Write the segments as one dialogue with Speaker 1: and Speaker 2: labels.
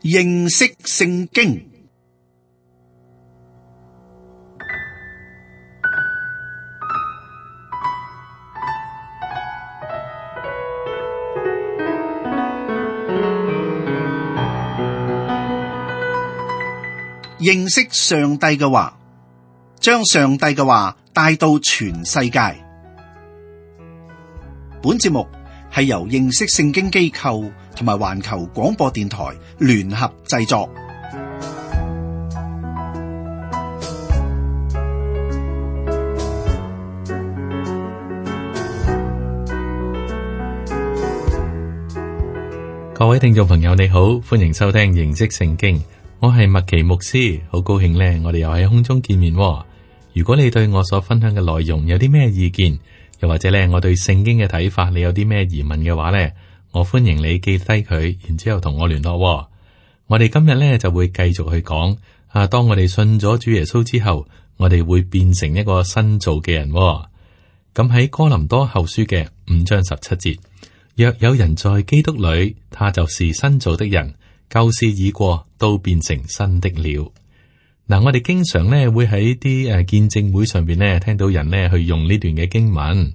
Speaker 1: 認識聖經。認識上帝嘅話，將上帝嘅話帶到全世界。本節目係由認識聖經機構同埋環球廣播電台聯合製作。
Speaker 2: 各位聽眾朋友，你好，歡迎收聽認識聖經。我係麥奇牧師，好高興呢，我哋又喺空中見面。如果你對我所分享嘅內容有啲咩意見，又或者呢，我對聖經嘅睇法，你有啲咩疑問嘅話呢，我歡迎你記低佢，然之後同我聯絡。我哋今日呢就會繼續去講當我哋信咗主耶穌之後，我哋會變成一個新造嘅人。咁喺哥林多後書嘅5章17節，若有人在基督裏，他就是新造的人。舊事已過，都變成新的了。嗱，我哋經常咧會喺啲見證會上邊咧聽到人咧去用呢段嘅經文。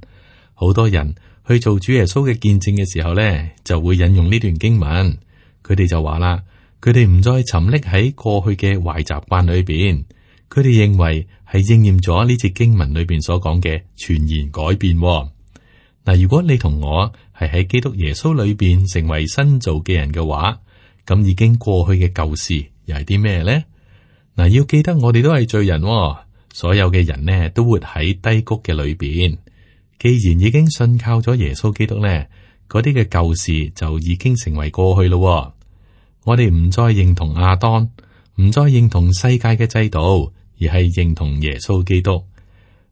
Speaker 2: 好多人去做主耶穌嘅見證嘅時候咧，就會引用呢段經文。佢哋就話啦，佢哋唔再沉溺喺過去嘅壞習慣裏邊。佢哋認為係應驗咗呢節經文裏邊所講嘅全然改變。嗱，如果你同我係喺基督耶穌裏邊成為新造嘅人嘅話，咁已經過去嘅舊事又係啲咩呢？嗱，要記得我哋都係罪人，所有嘅人呢都活喺低谷嘅裏邊。既然已經信靠咗耶穌基督呢，嗰啲嘅舊事就已經成為過去咯。我哋唔再認同亞當，唔再認同世界嘅制度，而係認同耶穌基督。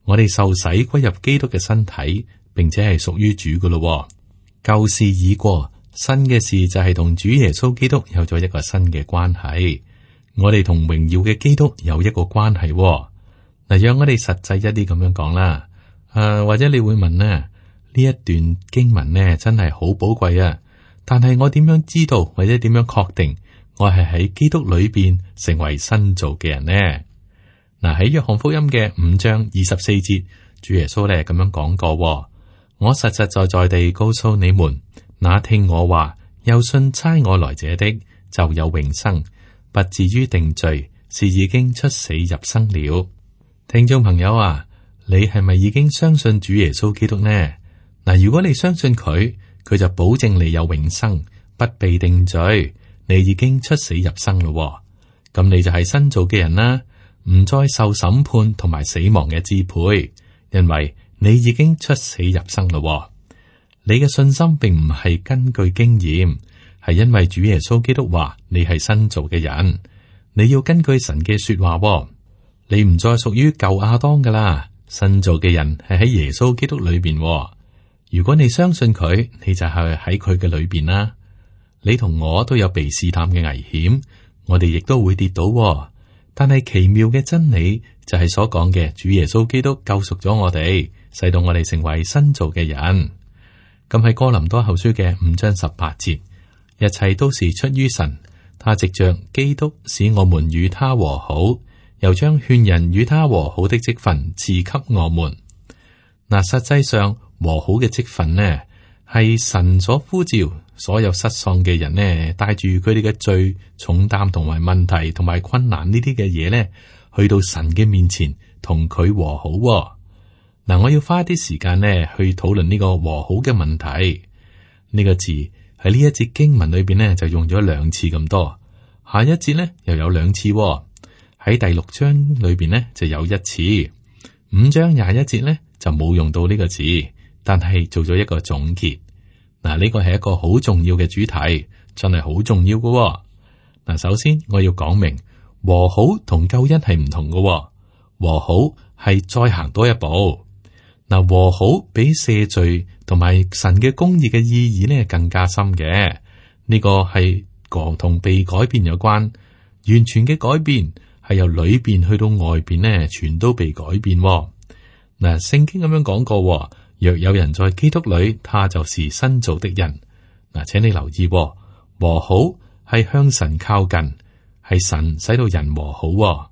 Speaker 2: 我哋受洗歸入基督嘅身體，並且係屬於主㗎咯。舊事已過。新嘅事就係同主耶穌基督有咗一個新嘅關係，我哋同榮耀嘅基督有一個關係。嗱，讓我哋實際一啲咁樣講啦。或者你會問呢一段經文呢真係好寶貴啊，但係我點樣知道或者點樣確定我係喺基督裏邊成為新造嘅人呢？嗱，喺約翰福音嘅5章24節，主耶穌咧咁樣講過：我實實在在地告訴你們，那聽我話又信差我來者的，就有永生，不至於定罪，是已經出死入生了。聽眾朋友啊，你係咪已經相信主耶穌基督呢？嗱，如果你相信佢，佢就保證你有永生，不被定罪，你已經出死入生咯。咁你就係新造嘅人啦，唔再受審判同埋死亡嘅支配，因為你已經出死入生咯。你嘅信心並唔係根據經驗，係因為主耶穌基督話你係新造嘅人。你要根據神嘅說話，你唔再屬於舊亞當噶啦。新造嘅人係喺耶穌基督裏邊。如果你相信佢，你就係喺佢嘅裏邊啦。你同我都有被試探嘅危險，我哋亦都會跌倒。但係奇妙嘅真理就係所講嘅，主耶穌基督救贖咗我哋，使到我哋成為新造嘅人。咁喺哥林多後書嘅5章18節，一切都是出於神，他藉着基督使我們與他和好，又將勸人與他和好的職分賜給我們。嗱，實際上和好嘅職分呢，係神所呼召所有失喪嘅人呢，帶住佢哋嘅罪重擔同埋問題同埋困難呢啲嘅嘢呢，去到神嘅面前同佢和好。嗱，我要花啲時間呢去討論呢個和好嘅問題。呢個字喺呢一節經文裏邊呢就用咗2次咁多，下一節呢又有2次，喺第6章裏邊呢就有1次，5章21節呢就冇用到呢個字，但係做咗一個總結。嗱，呢個係一個好重要嘅主題，真係好重要㗎。嗱，首先我要講明和好同救恩係唔同㗎，和好係再行多一步。嗱，和好比赦罪同埋神嘅公義嘅意義呢更加深嘅。呢個係同被改變有關，完全嘅改變係由裏邊去到外邊呢，全都被改變。嗱，聖經咁樣講過，若有人在基督裏，他就是新造的人。嗱，請你留意，和好係向神靠近，係神使到人和好喎。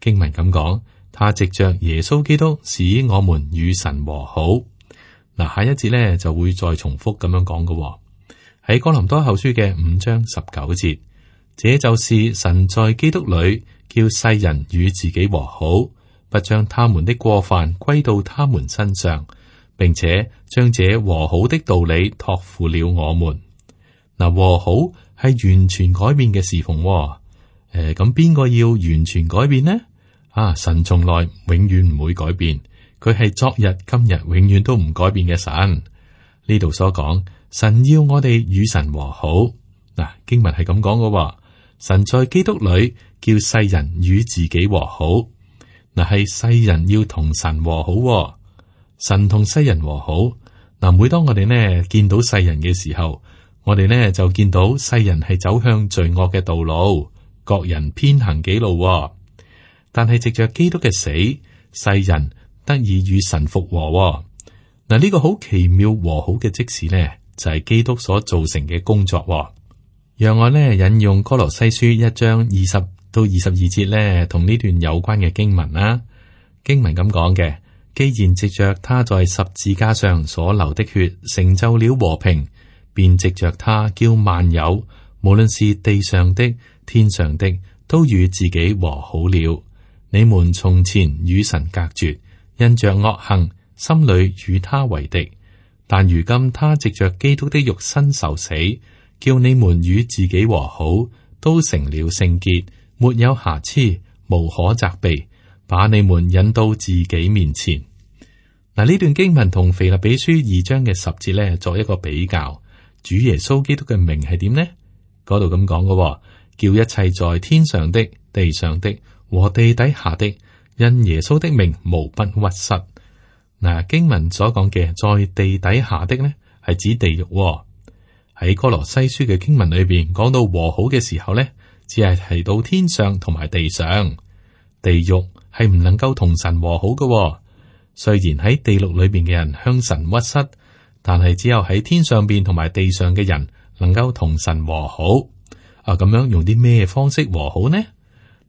Speaker 2: 經文咁講，他藉着耶穌基督使我們與神和好。嗱，下一節咧就會再重複咁樣講嘅喎。喺哥林多後書嘅5章19節，這就是神在基督裏叫世人與自己和好，不將他們的過犯歸到他們身上，並且將這和好的道理託付了我們。嗱，和好係完全改變嘅侍奉喎。咁邊個要完全改變呢？神從來永遠唔會改變，佢係昨日、今日永遠都唔改變嘅神。呢度所講，神要我哋與神和好。嗱，經文係咁講嘅，神在基督裏叫世人與自己和好。嗱，係世人要同神和好喎，神同世人和好。嗱，每當我哋呢見到世人嘅時候，我哋呢就見到世人係走向罪惡嘅道路。各人偏行己路喎，但係藉着基督嘅死，世人得以與神復和喎。嗱，呢個好奇妙和好嘅即時呢，就係基督所造成嘅工作喎。讓我呢引用哥羅西書1章20到22節呢，同呢段有關嘅經文啦。經文咁講嘅，既然藉着他在十字架上所流的血成就了和平，便藉着他叫萬有，無論是地上的、天上的，都與自己和好了。你們從前與神隔絕，因着惡行，心裏與他為敵。但如今他藉着基督的肉身受死，叫你們與自己和好，都成了聖潔，沒有瑕疵，無可責備，把你們引到自己面前。嗱，呢段經文同腓立比書2章嘅10節咧作一個比較。主耶穌基督嘅名係點呢？嗰度咁講嘅，叫一切在天上的、地上的和地底下的，因耶穌的名無不屈膝。嗱，經文所講嘅在地底下的呢，係指地獄。喺哥羅西書嘅經文裏邊講到和好嘅時候呢，只係提到天上同埋地上。地獄係唔能夠同神和好嘅。雖然喺地獄裏邊嘅人向神屈膝，但係只有喺天上邊同埋地上嘅人能夠同神和好。咁樣用啲咩方式和好呢？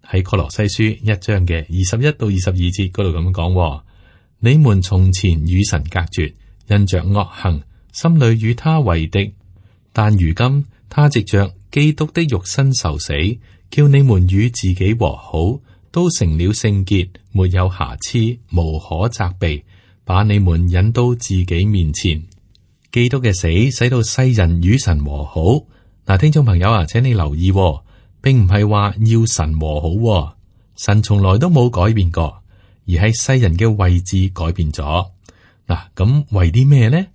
Speaker 2: 喺哥羅西書1章嘅21到22節嗰度咁講：你們從前與神隔絕，因着惡行，心裏與他為敵。但如今他藉着基督的肉身受死，叫你們與自己和好，都成了聖潔，沒有瑕疵，無可責備，把你們引到自己面前。基督嘅死使到世人與神和好。嗱，聽眾朋友啊，請你留意，並唔係話要神和好，神從來都冇改變過，而係世人嘅位置改變咗。嗱，咁為啲咩呢？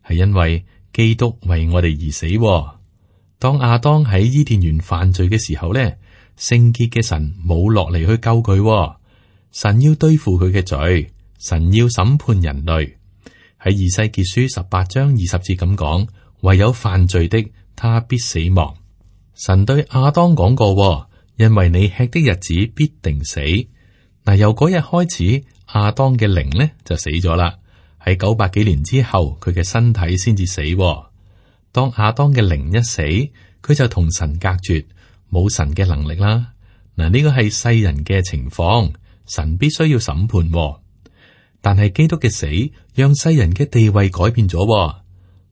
Speaker 2: 係因為基督為我哋而死。當亞當喺伊甸園犯罪嘅時候咧，聖潔嘅神冇落嚟去救佢，神要對付佢嘅罪，神要審判人類。喺以西結書18章20節咁講，唯有犯罪的，他必死亡。神對亞當講過，因為你吃的日子必定死。嗱，由嗰日開始，亞當嘅靈呢就死咗啦。喺900幾年之後，佢嘅身體先至死。當亞當嘅靈一死，佢就同神隔絕，冇神嘅能力啦。嗱，呢個係世人嘅情況，神必須要審判。但係基督嘅死，讓世人嘅地位改變咗。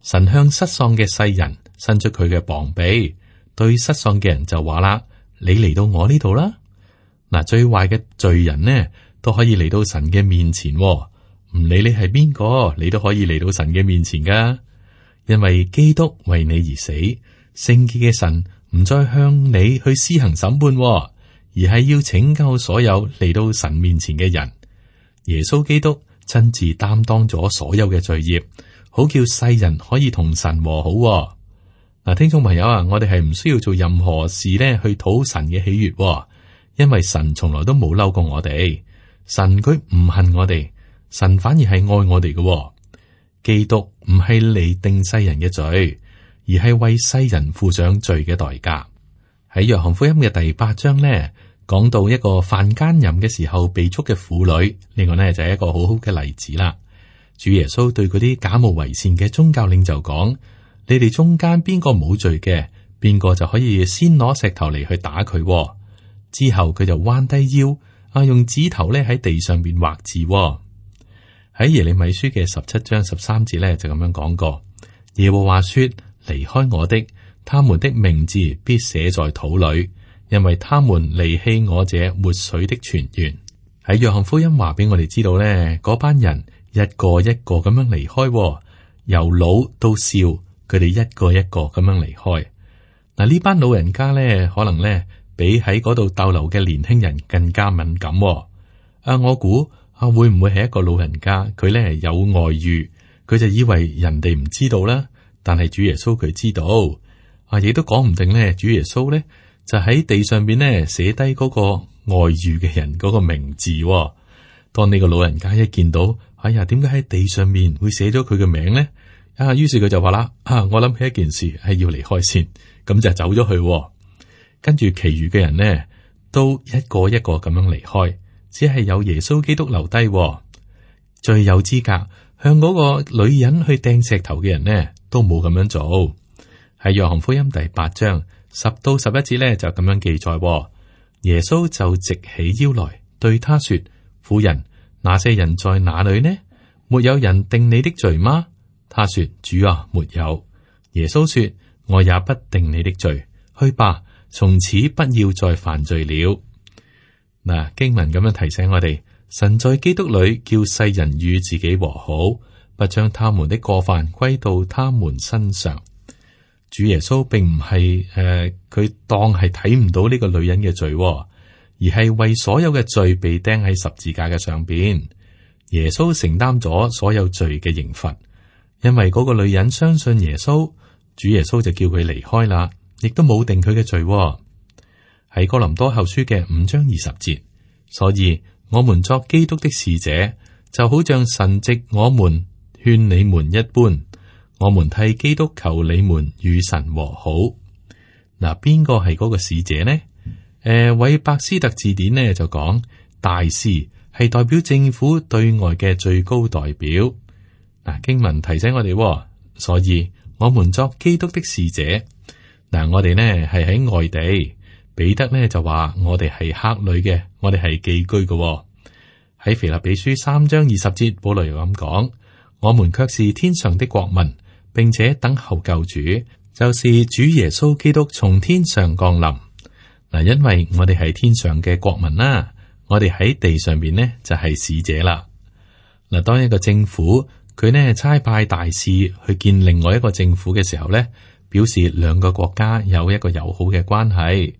Speaker 2: 神向失喪嘅世人伸出佢嘅膀臂，對失喪嘅人就話啦：你嚟到我呢度啦。嗱，最壞嘅罪人呢，都可以嚟到神嘅面前，唔理你係邊個，你都可以嚟到神嘅面前噶。因為基督為你而死，聖潔嘅神唔再向你去施行審判，而係要拯救所有嚟到神面前嘅人。耶穌基督親自擔當咗所有嘅罪孽，好叫世人可以同神和好。嗱，聽眾朋友啊，我哋係唔需要做任何事呢去討神嘅喜悅，因為神從來都冇嬲過我哋。神佢唔恨我哋，神反而係愛我哋嘅。基督唔係嚟定世人嘅罪，而係為世人付上罪嘅代價。喺約翰福音嘅第8章呢，講到一個犯奸淫嘅時候被捉嘅婦女，呢個呢就係一個好好嘅例子啦。主耶穌對嗰啲假冒為善嘅宗教領袖講：你哋中間邊個冇罪嘅，邊個就可以先攞石頭嚟去打佢。之後佢就彎低腰，用指頭咧喺地上邊畫字。喺耶利米書嘅17章13節咧就咁樣講過：耶和華說，離開我的，他們的名字必寫在土裏，因為他們離棄我這活水的泉源。喺約翰福音話俾我哋知道咧，嗰班人一個一個咁樣離開，由老到少，佢哋一個一個咁樣離開。嗱，呢班老人家咧，可能咧比喺嗰度逗留嘅年輕人更加敏感。我估會唔會係一個老人家，佢咧有外遇，佢就以為人哋唔知道啦，但係主耶穌佢知道，亦都講唔定咧，主耶穌咧就喺地上邊咧寫低嗰個外遇嘅人嗰個名字。當呢個老人家一見到，哎呀，點解喺地上面會寫咗佢嘅名咧？於是佢就話啦，我諗起一件事係要離開先，咁就走咗去。跟住其餘嘅人呢，都一個一個咁樣離開，只係有耶穌基督留低。最有資格向嗰個女人去掟石頭嘅人呢，都冇咁樣做。喺約翰福音第8章10到11節呢，就咁樣記載。耶穌就直起腰來對他說：婦人，那些人在哪裏呢？沒有人定你的罪嗎？他說：主啊，沒有。耶穌說：我也不定你的罪，去吧，從此不要再犯罪了。嗱，經文咁樣提醒我哋，神在基督裏叫世人與自己和好，不將他們的過犯歸到他們身上。主耶穌並唔係佢當係睇唔到呢個女人嘅罪，而係為所有嘅罪被釘喺十字架嘅上邊。耶穌承擔咗所有罪嘅刑罰。因為嗰個女人相信耶穌，主耶穌就叫佢離開啦，亦都冇定佢嘅罪。喺哥林多後書嘅5章20節，所以我們作基督的使者，就好像神藉我們勸你們一般，我們替基督求你們與神和好。嗱，邊個係嗰個使者呢？韋伯斯特字典呢就講，大使係代表政府對外嘅最高代表。嗱，經文提醒我哋，所以我們作基督的使者。嗱，我哋呢係喺外地，彼得呢就話我哋係客旅嘅，我哋係寄居嘅。喺腓立比書3章20節，保羅又咁講：我們卻是天上的國民，並且等候救主，就是主耶穌基督從天上降臨。嗱，因為我哋係天上嘅國民啦，我哋喺地上邊呢就係使者啦。嗱，當一個政府佢呢差派大使去見另外一個政府嘅時候呢，表示兩個國家有一個友好嘅關係。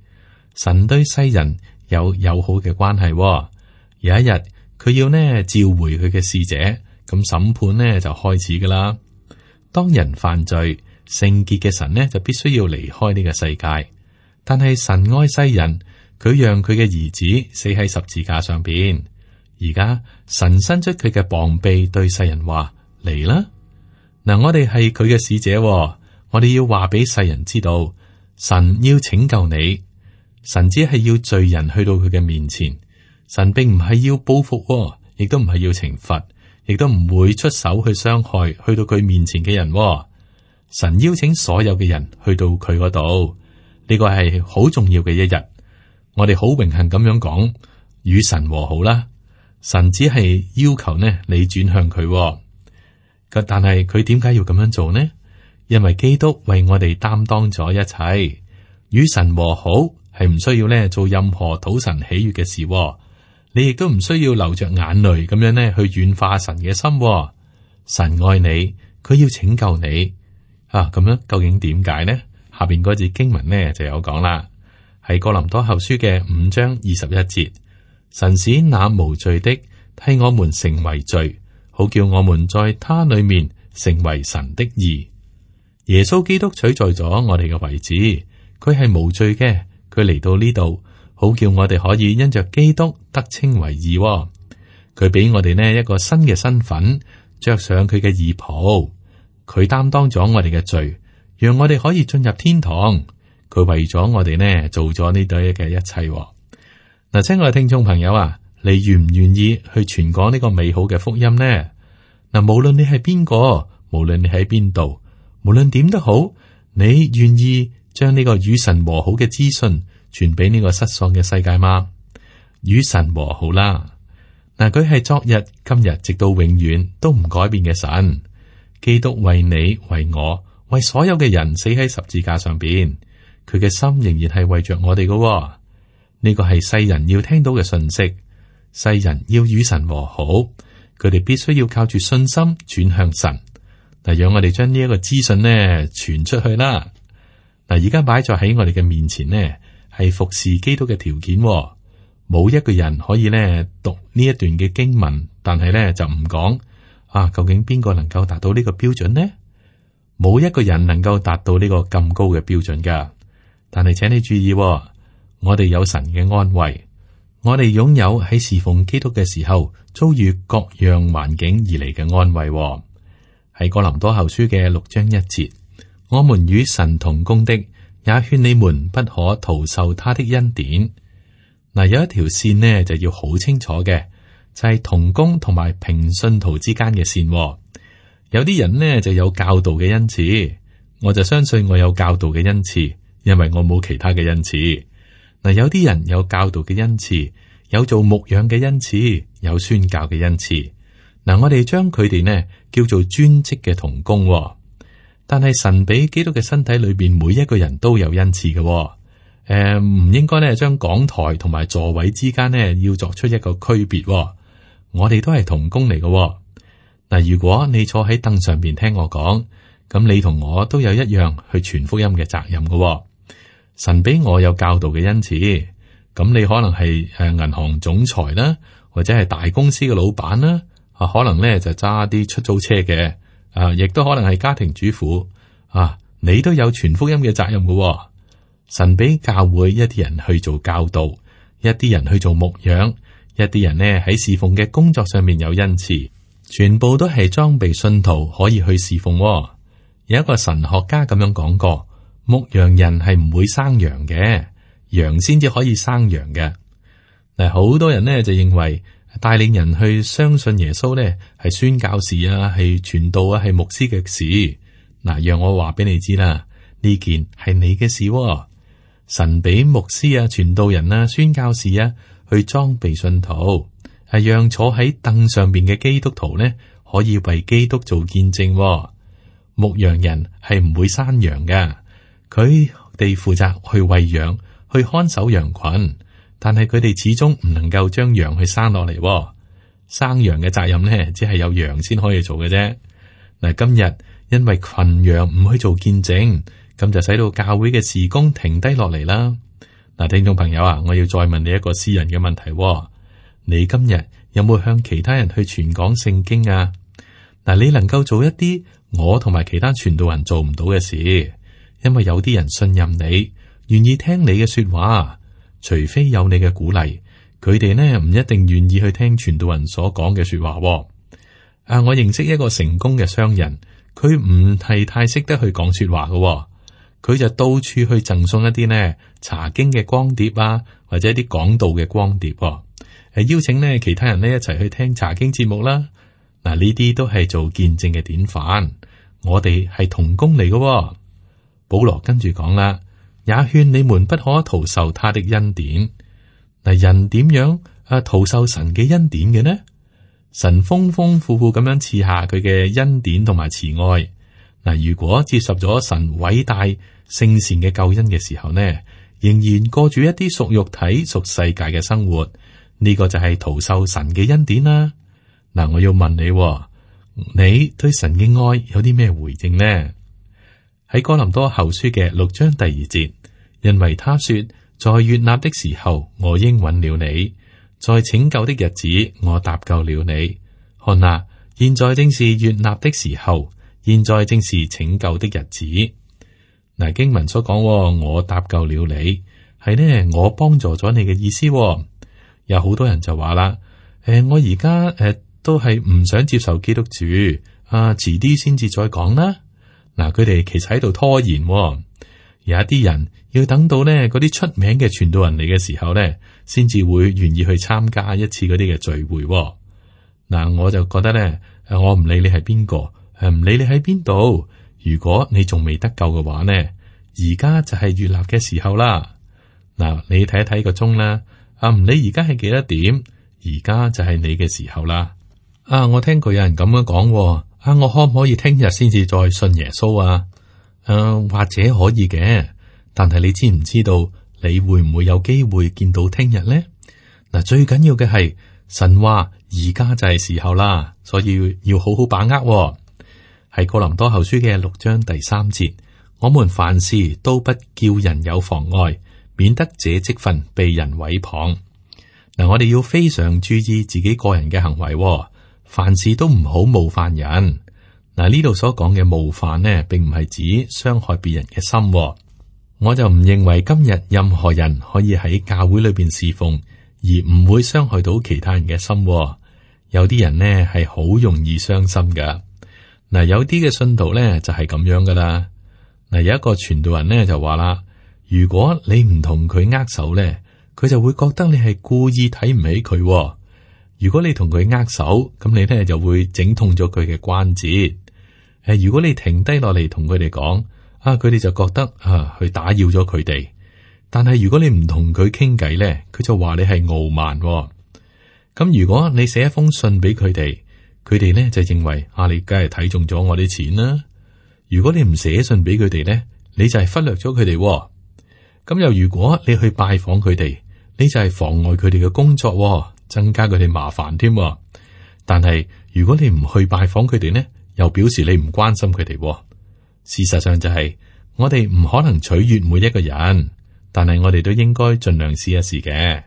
Speaker 2: 神對世人有友好嘅關係。有一日佢要呢召回佢嘅使者，咁審判呢就開始噶啦。當人犯罪，聖潔嘅神呢就必須要離開呢個世界。但係神愛世人，佢讓佢嘅兒子死喺十字架上邊。而家神伸出佢嘅膀臂對世人話：嚟啦！嗱，我哋係佢嘅使者，我哋要話俾世人知道，神要拯救你。神只係要罪人去到佢嘅面前，神並唔係要報復，亦都唔係要懲罰，亦都唔會出手去傷害去到佢面前嘅人。神邀請所有嘅人去到佢嗰度，呢個係好重要嘅一日。我哋好榮幸咁樣講，與神和好啦。神只係要求呢，你轉向佢。但係佢點解要咁樣做呢？因為基督為我哋擔當咗一切，與神和好係唔需要呢做任何討神喜悅嘅事。你亦都唔需要流着眼淚咁樣呢去軟化神嘅心。神愛你，佢要拯救你啊！咁樣究竟點解呢？下邊嗰節經文呢就有講啦，係哥林多後書嘅5章21節，神使那無罪的替我們成為罪，好叫我們在他裏面成為神的義。耶穌基督取代咗我哋嘅位置，佢係無罪嘅，佢嚟到呢度，好叫我哋可以因着基督得稱為義。佢俾我哋呢一個新嘅身份，着上佢嘅義袍，佢擔當咗我哋嘅罪，讓我哋可以進入天堂。佢為咗我哋呢做咗呢堆嘅一切。嗱，親愛嘅聽眾朋友啊，你願唔願意去傳講呢個美好嘅福音呢？嗱，無論你係邊個，無論你喺邊度，無論點都好，你願意將呢個與神和好嘅資訊傳俾呢個失喪嘅世界嗎？與神和好啦。嗱，佢係昨日、今日直到永遠都唔改變嘅神。基督為你、為我、為所有嘅人死喺十字架上邊，佢嘅心仍然係為着我哋嘅。呢個係世人要聽到嘅信息。世人要與神和好，佢哋必須要靠住信心轉向神。嗱，讓我哋將呢一個資訊呢傳出去啦。嗱，而家擺在喺我哋嘅面前呢，係服侍基督嘅條件。冇一個人可以呢讀呢一段嘅經文，但係呢就唔講啊，究竟邊個能夠達到呢個標準呢？冇一個人能夠達到呢個咁高嘅標準噶。但係請你注意，我哋有神嘅安慰，我哋擁有喺侍奉基督嘅時候遭遇各樣環境而嚟嘅安慰。喺哥林多後書嘅6章1節，我們與神同工的，也勸你們不可徒受他的恩典。嗱，有一條線呢就要好清楚嘅，就係同工同埋平信徒之間嘅線。有啲人呢就有教導嘅恩賜，我就相信我有教導嘅恩賜，因為我冇其他嘅恩賜。嗱，有啲人有教導嘅恩賜，有做牧養嘅恩賜，有宣教嘅恩賜。嗱，我哋將佢哋呢叫做專職嘅同工。但係神俾基督嘅身體裏邊每一個人都有恩賜嘅。唔應該咧將講台同埋座位之間呢要作出一個區別。我哋都係同工嚟嘅。嗱，如果你坐喺凳上邊聽我講，咁你同我都有一樣去傳福音嘅責任嘅。神俾我有教導嘅恩賜，咁你可能係銀行總裁啦，或者係大公司嘅老闆啦，可能咧就揸啲出租車嘅，亦都可能係家庭主婦，你都有傳福音嘅責任嘅。神俾教會一啲人去做教導，一啲人去做牧養，一啲人呢喺侍奉嘅工作上面有恩賜，全部都係裝備信徒可以去侍奉。有一個神學家咁樣講過，牧羊人係唔會生羊嘅，羊先至可以生羊嘅。嗱，好多人呢就認為帶領人去相信耶穌呢係宣教士啊，係傳道啊，係牧師嘅事。嗱，讓我話俾你知啦，呢件係你嘅事。神俾牧師啊、傳道人啊、宣教士啊去裝備信徒，係讓坐喺凳上邊嘅基督徒呢可以為基督做見證。牧羊人係唔會生羊噶，佢哋負責去餵養、去看守羊群，但係佢哋始終唔能夠將羊去生落嚟。生羊嘅責任呢，只係有羊先可以做嘅啫。嗱，今日因為群羊唔去做見證，咁就使到教會嘅事工停低落嚟啦。嗱，聽眾朋友啊，我要再問你一個私人嘅問題。你今日有冇向其他人去傳講聖經啊？嗱，你能夠做一啲我同埋其他傳道人做唔到嘅事，因為有啲人信任你，願意聽你嘅說話，除非有你嘅鼓勵，佢哋呢唔一定願意去聽傳道人所講嘅說話。我認識一個成功嘅商人，佢唔係太識得去講說話嘅。佢就到處去贈送一啲呢查經嘅光碟啊，或者一啲講道嘅光碟，邀請呢其他人呢一齊去聽查經節目啦。嗱，呢啲都係做見證嘅典範。我哋係同工嚟嘅。保羅跟住講啦，也勸你們不可徒受他的恩典。嗱，人點樣徒受神嘅恩典嘅呢？神豐豐富富咁樣賜下佢嘅恩典同埋慈愛。嗱，如果接受咗神偉大聖善嘅救恩嘅時候呢，仍然過住一啲屬肉體、屬世界嘅生活，呢個就係徒受神嘅恩典啦。嗱，我要問你，你對神嘅愛有啲咩回應呢？喺哥林多後書嘅6章第2節，因為他說，在悅納的時候，我應允了你；在拯救的日子，我搭救了你。看哪，現在正是悅納的時候，現在正是拯救的日子。嗱，經文所講，我搭救了你，係呢，我幫助咗你嘅意思。有好多人就話啦，我而家都係唔想接受基督主，遲啲先至再講啦。嗱，佢哋其實喺度拖延。有一啲人要等到呢嗰啲出名嘅傳道人嚟嘅時候呢，先至會願意去參加一次嗰啲嘅聚會。嗱，我就覺得呢，我唔理你係邊個，唔理你喺邊度，如果你仲未得救嘅話呢，而家就係悅納嘅時候啦。嗱，你睇一睇個鐘啦，唔理而家係幾多點，而家就係你嘅時候啦。我聽過有人咁樣講，我可唔可以聽日先至再信耶穌啊？或者可以嘅，但係你知唔知道你會唔會有機會見到聽日呢？嗱，最緊要嘅係神話而家就係時候啦，所以要好好把握。係哥林多後書嘅6章第3節，我們凡事都不叫人有妨礙，免得這職分被人毀謗。嗱，我哋要非常注意自己個人嘅行為，凡事都唔好冒犯人。嗱，呢度所講嘅冒犯呢，並唔係指傷害別人嘅心。我就唔認為今日任何人可以喺教會裏邊侍奉，而唔會傷害到其他人嘅心。有啲人呢係好容易傷心噶。嗱，有啲嘅信徒呢就係咁樣噶啦。嗱，有一個傳道人呢就話啦，如果你唔同佢握手呢，佢就會覺得你係故意睇唔起佢。如果你同佢握手，咁你呢就會整痛咗佢嘅關節。如果你停低落嚟同佢哋講，佢哋就覺得去打擾咗佢哋。但係如果你唔同佢傾偈咧，佢就話你係傲慢。咁如果你寫一封信俾佢哋，佢哋咧就認為你梗係睇中咗我啲錢啦。如果你唔寫信俾佢哋咧，你就係忽略咗佢哋。咁又如果你去拜訪佢哋，你就係妨礙佢哋嘅工作，增加佢哋麻煩添。但係如果你唔去拜訪佢哋咧，又表示你唔關心佢哋。事實上就係我哋唔可能取悦每一個人，但係我哋都應該盡量試一試嘅。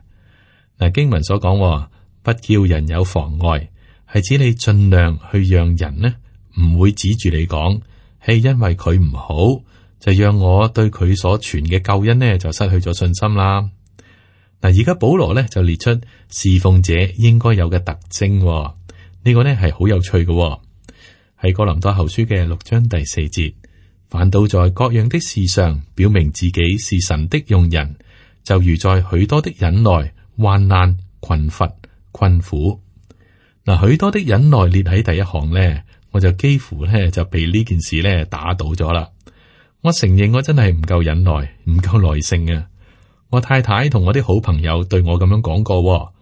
Speaker 2: 嗱，經文所講，不叫人有妨礙，係指你盡量去讓人呢唔會指住你講，係因為佢唔好，就讓我對佢所傳嘅救恩呢就失去咗信心啦。嗱，而家保羅呢就列出侍奉者應該有嘅特徵，呢個呢係好有趣嘅。喺哥林多後書嘅6章第4節，凡到在各樣的事上表明自己是神的用人，就如在許多的忍耐、患難、困乏、困苦。嗱，許多的忍耐列喺第一行呢，我就幾乎呢就被呢件事呢打倒咗啦。我承認我真係唔夠忍耐，唔夠耐性啊！我太太同我啲好朋友對我咁樣講過，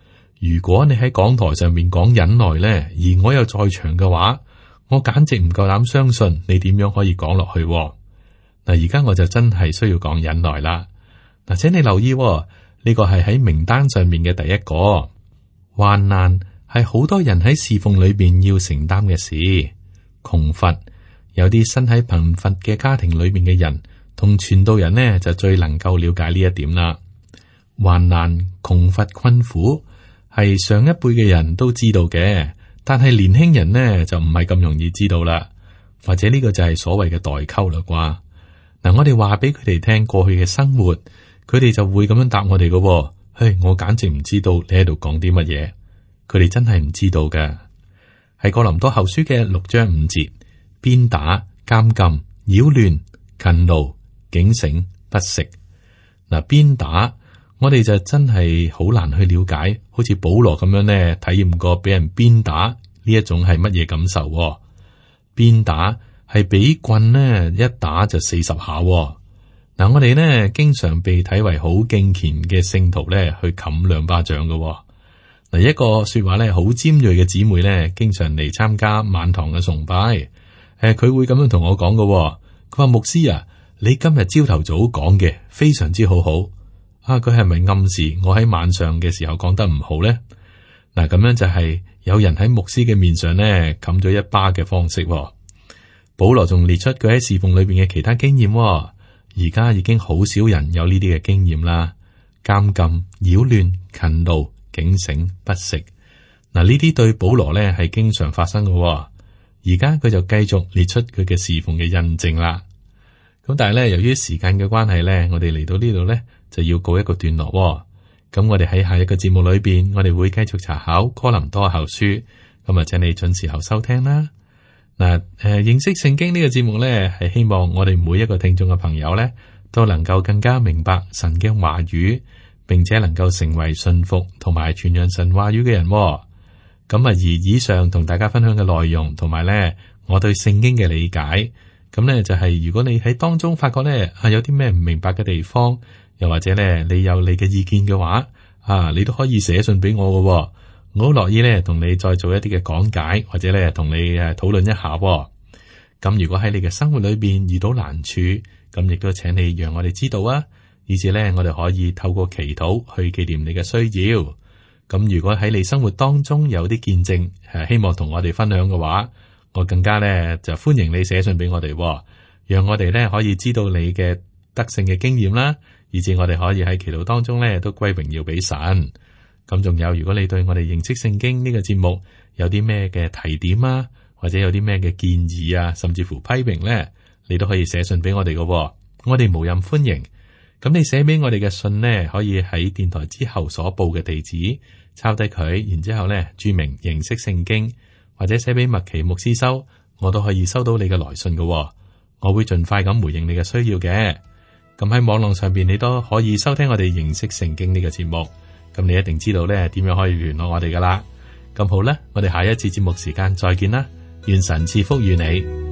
Speaker 2: 如果你喺講台上面講忍耐呢，而我又在場嘅話，我簡直唔夠膽相信你點樣可以講落去。嗱，而家我就真係需要講忍耐啦。嗱，請你留意，呢個係喺名單上面嘅第一個。患難係好多人喺侍奉裏邊要承擔嘅事。窮乏，有啲身喺貧乏嘅家庭裏面嘅人，同傳道人呢就最能夠了解呢一點啦。患難、窮乏、困苦係上一輩嘅人都知道嘅。但係年輕人呢就唔係咁容易知道啦，或者呢個就係所謂嘅代溝啦啩。嗱，我哋話俾佢哋聽過去嘅生活，佢哋就會咁樣答我哋嘅。我簡直唔知道你喺度講啲乜嘢，佢哋真係唔知道嘅。係哥林多後書嘅6章5節，鞭打、監禁、擾亂、勤勞、警醒、不食。嗱，鞭打。我哋就真係好難去了解，好似保羅咁樣呢，體驗過俾人鞭打呢一種係乜嘢感受。鞭打係俾棍呢一打就40下。嗱，我哋呢經常被睇為好敬虔嘅聖徒呢去冚2巴掌嘅。嗱，一個說話呢好尖銳嘅姊妹呢，經常嚟參加晚堂嘅崇拜。佢會咁樣同我講嘅。佢話牧師啊，你今日朝頭早講嘅非常之好。佢係咪暗示我喺晚上嘅時候講得唔好呢？嗱，咁樣就係有人喺牧師嘅面上呢冚咗1巴嘅方式。保羅仲列出佢喺侍奉裏邊嘅其他經驗。而家已經好少人有呢啲嘅經驗啦。監禁、擾亂、勤勞、警醒、不食。嗱，呢啲對保羅呢係經常發生嘅。而家佢就繼續列出佢嘅侍奉嘅印證啦。咁但係咧，由於時間嘅關係咧，我哋嚟到呢度咧就要告一個段落。咁我哋喺下一個節目裏邊，我哋會繼續查考哥林多後書。咁啊，請你準時候收聽啦。嗱，認識聖經呢個節目咧，係希望我哋每一個聽眾嘅朋友咧，都能夠更加明白神嘅話語，並且能夠成為信服同埋傳揚神話語嘅人。咁啊，而以上同大家分享嘅內容，同埋咧我對聖經嘅理解。咁咧就係如果你喺當中發覺咧有啲咩唔明白嘅地方，又或者咧你有你嘅意見嘅話，你都可以寫信俾我嘅，我好樂意咧同你再做一啲嘅講解，或者咧同你討論一下。咁如果喺你嘅生活裏邊遇到難處，咁亦都請你讓我哋知道啊，以至咧我哋可以透過祈禱去紀念你嘅需要。咁如果喺你生活當中有啲見證，希望同我哋分享嘅話，我更加咧就歡迎你寫信俾我哋，讓我哋咧可以知道你嘅得勝嘅經驗啦，以至我哋可以喺祈禱當中咧都歸榮耀俾神。咁仲有，如果你對我哋認識聖經呢個節目有啲咩嘅提點啊，或者有啲咩嘅建議啊，甚至乎批評咧，你都可以寫信俾我哋嘅，我哋無任歡迎。咁你寫俾我哋嘅信呢，可以喺電台之後所報嘅地址抄低佢，然之後咧注明認識聖經，或者寫俾麥奇牧師收，我都可以收到你嘅來信嘅，我會盡快咁回應你嘅需要嘅。咁喺網絡上邊，你都可以收聽我哋認識聖經呢個節目，咁你一定知道咧點樣可以聯絡我哋噶啦。咁好啦，我哋下一次節目時間再見啦，願神賜福與你。